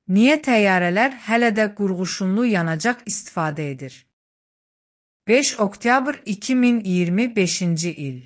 Niyə təyyarələr hələ də qurğuşunlu yanacaq istifadə edir? 5 oktyabr 2025-ci il.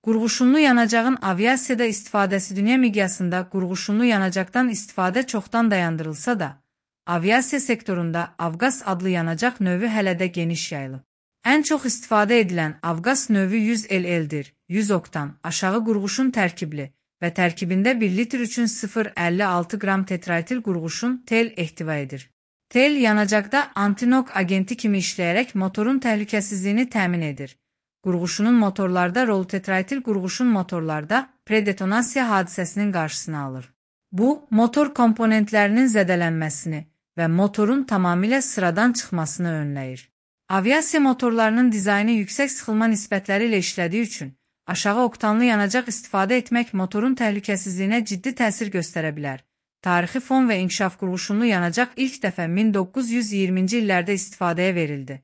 Qurğuşunlu yanacağın aviasiyada istifadəsi dünya miqyasında qurğuşunlu yanacaqdan istifadə çoxdan dayandırılsa da, aviasiya sektorunda Avqas adlı yanacaq növü hələ də geniş yayılıb. Ən çox istifadə edilən Avqas növü 100 LL-dir, 100 oktan, aşağı qurğuşun tərkibli və tərkibində 1 litr üçün 0,56 qram tetraetil qurğuşun tel ehtiva edir. Tel yanacaqda antinok agenti kimi işləyərək motorun təhlükəsizliyini təmin edir. Qurğuşunun motorlarda rol tetraetil qurğuşun motorlarda predetonasiya hadisəsinin qarşısını alır. Bu, motor komponentlərinin zədələnməsini və motorun tamamilə sıradan çıxmasını önləyir. Aviasiya motorlarının dizaynı yüksək sıxılma nisbətləri ilə işlədiyi üçün, aşağı oktanlı yanacaq istifadə etmək motorun təhlükəsizliyinə ciddi təsir göstərə bilər. Tarixi fon və inkişaf qurğuşunlu yanacaq ilk dəfə 1920-ci illərdə istifadəyə verildi.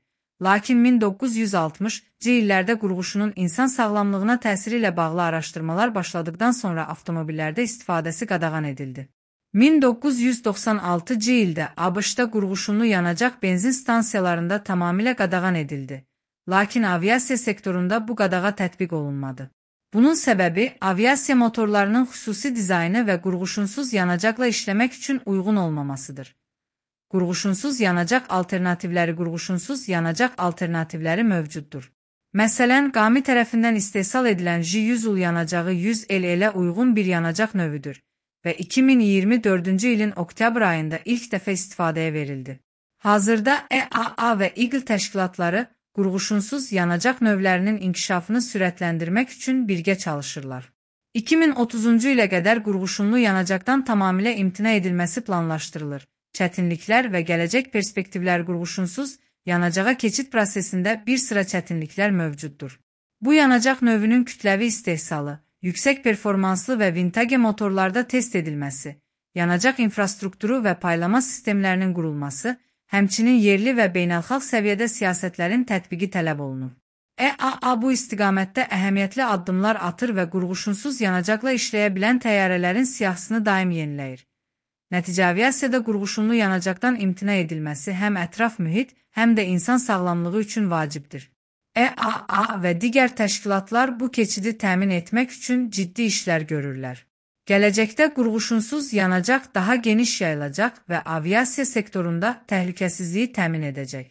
Lakin 1960-cı illərdə qurğuşunun insan sağlamlığına təsiri ilə bağlı araşdırmalar başladıqdan sonra avtomobillərdə istifadəsi qadağan edildi. 1996-cı ildə ABŞ-da qurğuşunlu yanacaq benzin stansiyalarında tamamilə qadağan edildi. Lakin aviasiya sektorunda bu qadağa tətbiq olunmadı. Bunun səbəbi aviasiya motorlarının xüsusi dizaynı və qurğuşunsuz yanacaqla işləmək üçün uyğun olmamasıdır. Qurğuşunsuz yanacaq alternativləri mövcuddur. Məsələn, Qami tərəfindən istehsal edilən J100 yanacağı 100 LL-ə uyğun bir yanacaq növüdür və 2024-cü ilin oktyabr ayında ilk dəfə istifadəyə verildi. Hazırda EAA və EAGLE təşkilatları qurğuşunsuz yanacaq növlərinin inkişafını sürətləndirmək üçün birgə çalışırlar. 2030-cu ilə qədər qurğuşunlu yanacaqdan tamamilə imtina edilməsi planlaşdırılır. Çətinliklər və gələcək perspektivlər qurğuşunsuz yanacağa keçid prosesində bir sıra çətinliklər mövcuddur. Bu yanacaq növünün kütləvi istehsalı, yüksək performanslı və vintage motorlarda test edilməsi, yanacaq infrastrukturu və paylama sistemlərinin qurulması, həmçinin yerli və beynəlxalq səviyyədə siyasətlərin tətbiqi tələb olunur. EAA bu istiqamətdə əhəmiyyətli addımlar atır və qurğuşunsuz yanacaqla işləyə bilən təyyarələrin siyahısını daim yeniləyir. Nəticə aviasiyada qurğuşunlu yanacaqdan imtina edilməsi həm ətraf mühit, həm də insan sağlamlığı üçün vacibdir. EAA və digər təşkilatlar bu keçidi təmin etmək üçün ciddi işlər görürlər. Gələcəkdə qurğuşunsuz yanacaq daha geniş yayılacaq və aviasiya sektorunda təhlükəsizliyi təmin edəcək.